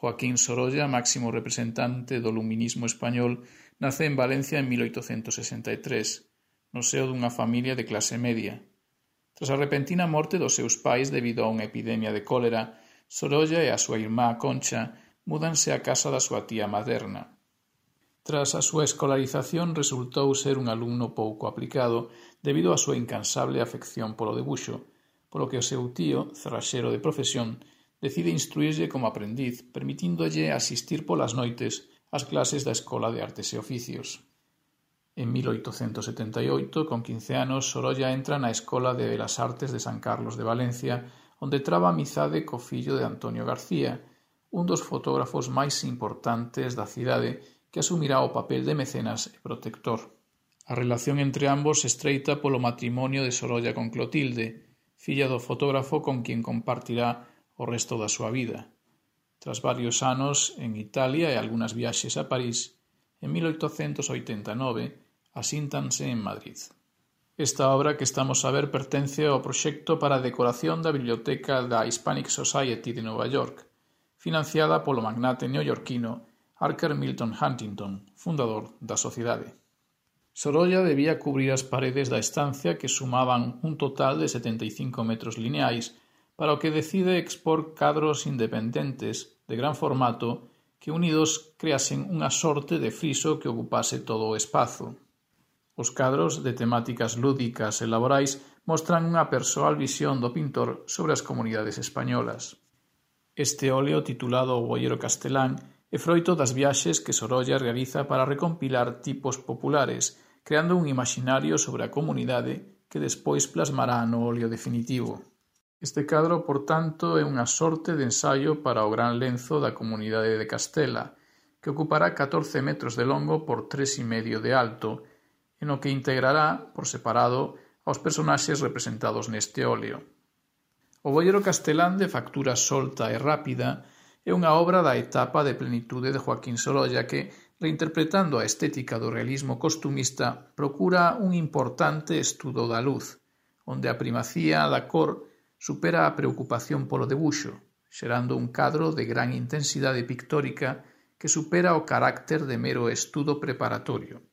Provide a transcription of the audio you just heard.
Joaquín Sorolla, máximo representante do luminismo español, nace en Valencia en 1863, no seo dunha familia de clase media. Tras a repentina morte dos seus pais debido a unha epidemia de cólera, Sorolla e a súa irmá Concha múdanse á casa da súa tía materna. Tras a súa escolarización resultou ser un alumno pouco aplicado debido á súa incansable afección polo debuxo, polo que o seu tío, cerraxeiro de profesión, decide instruírlle como aprendiz, permitíndolle asistir polas noites ás clases da Escola de Artes e Oficios. En 1878, con 15 anos, Sorolla entra na Escola de Belas Artes de San Carlos de Valencia, onde traba amizade co fillo de Antonio García, un dos fotógrafos máis importantes da cidade que asumirá o papel de mecenas e protector. A relación entre ambos se estreita polo matrimonio de Sorolla con Clotilde, filla do fotógrafo con quien compartirá o resto da súa vida. Tras varios anos en Italia e algunhas viaxes a París, en 1889 asíntanse en Madrid. Esta obra que estamos a ver pertence ao proxecto para a decoración da biblioteca da Hispanic Society de Nova York, financiada polo magnate neoyorquino Archer Milton Huntington, fundador da sociedade. Sorolla debía cubrir as paredes da estancia que sumaban un total de 75 metros lineais, para o que decide expor cadros independentes de gran formato que unidos creasen unha sorte de friso que ocupase todo o espazo. Os cadros, de temáticas lúdicas e laborais, mostran unha persoal visión do pintor sobre as comunidades españolas. Este óleo, titulado O Boiero Castelán, é froito das viaxes que Sorolla realiza para recompilar tipos populares, creando un imaginario sobre a comunidade que despois plasmará no óleo definitivo. Este cadro, por tanto, é unha sorte de ensaio para o gran lenzo da comunidade de Castela, que ocupará 14 metros de longo por 3,5 de alto, e no que integrará, por separado, aos personaxes representados neste óleo. O Boiero Castelán, de factura solta e rápida, é unha obra da etapa de plenitude de Joaquín Sorolla que, reinterpretando a estética do realismo costumista, procura un importante estudo da luz, onde a primacía da cor supera a preocupación polo debuxo, xerando un cadro de gran intensidade pictórica que supera o carácter de mero estudo preparatorio.